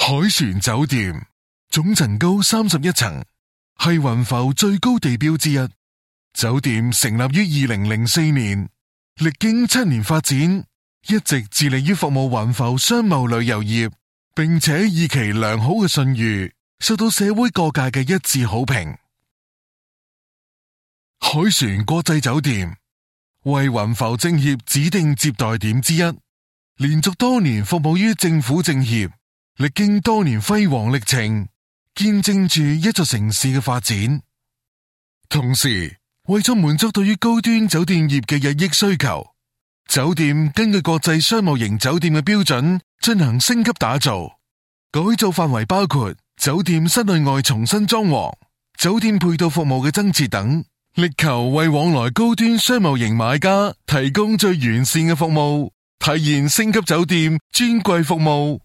海船酒店總層高31層，係雲浮最高地標之一。酒店成立於2004年，歷經7年發展，一直致力於服務雲浮商貿旅遊業，並且以其良好嘅信譽，受到社會各界嘅一致好評。海船國際酒店為雲浮政協指定接待點之一，連續多年服務於政府政協，歷經多年輝煌歷程，見證住一座城市嘅發展。同時，為咗滿足對於高端酒店業嘅日益需求，酒店根據國際商務型酒店嘅標準進行升級打造。改造範圍包括酒店室內外重新裝潢、酒店配套服務嘅增設等，力求為往來高端商務型買家提供最完善嘅服務，體現星級酒店尊貴服務。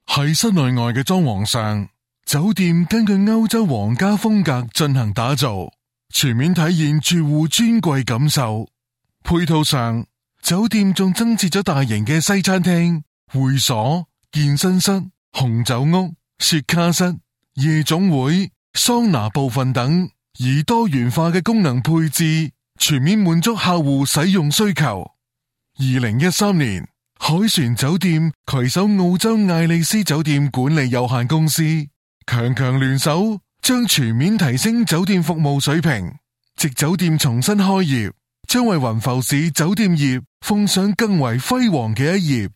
喺室內外嘅裝潢上，酒店根據歐洲皇家風格進行打造，全面體現住戶尊貴感受。配套上，酒店仲增設咗大型嘅西餐廳、會所、健身室、紅酒屋、雪茄室、夜總會、桑拿部分等，以多元化嘅功能配置，全面滿足客戶使用需求。2013年，海船酒店攜手澳洲艾利斯酒店管理有限公司，強強聯手，將全面提升酒店服務水平。藉酒店重新開業，將為雲浮市酒店業奉上更為輝煌嘅一頁。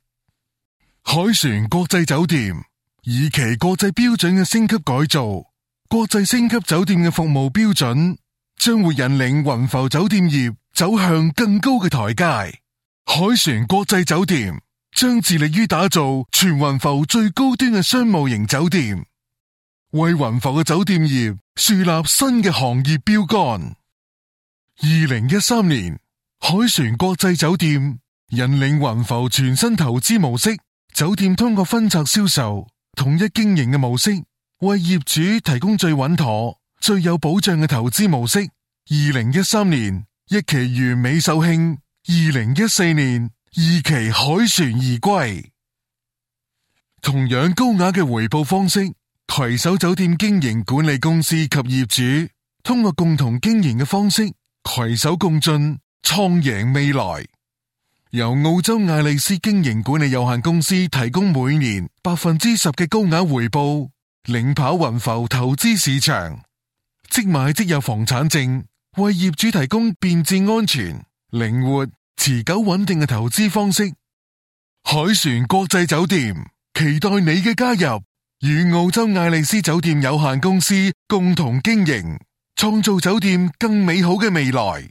海船國際酒店以其國際標準嘅升級改造，國際星級酒店嘅服務標準，將會引領雲浮酒店業走向更高嘅台階。海船國際酒店將致力於打造全雲浮最高端嘅商務型酒店，為雲浮嘅酒店業樹立新嘅行業標杆。2013年，海船國際酒店引領雲浮全新投資模式，酒店通過分拆銷售、統一經營嘅模式，為業主提供最穩妥、最有保障嘅投資模式。2013年，一期完美售罄，2014年，二期海船而歸。同樣高雅嘅回報方式，攜手酒店經營管理公司及業主，通過共同經營嘅方式，攜手共進，創贏未來。由澳洲艾利斯經營管理有限公司提供每年10%嘅高額回報，領跑雲浮投資市場。即買即有房產證，為業主提供便捷安全、靈活、持久穩定嘅投資方式。海船國際酒店期待你嘅加入，與澳洲艾利斯酒店有限公司共同經營，創造酒店更美好嘅未來。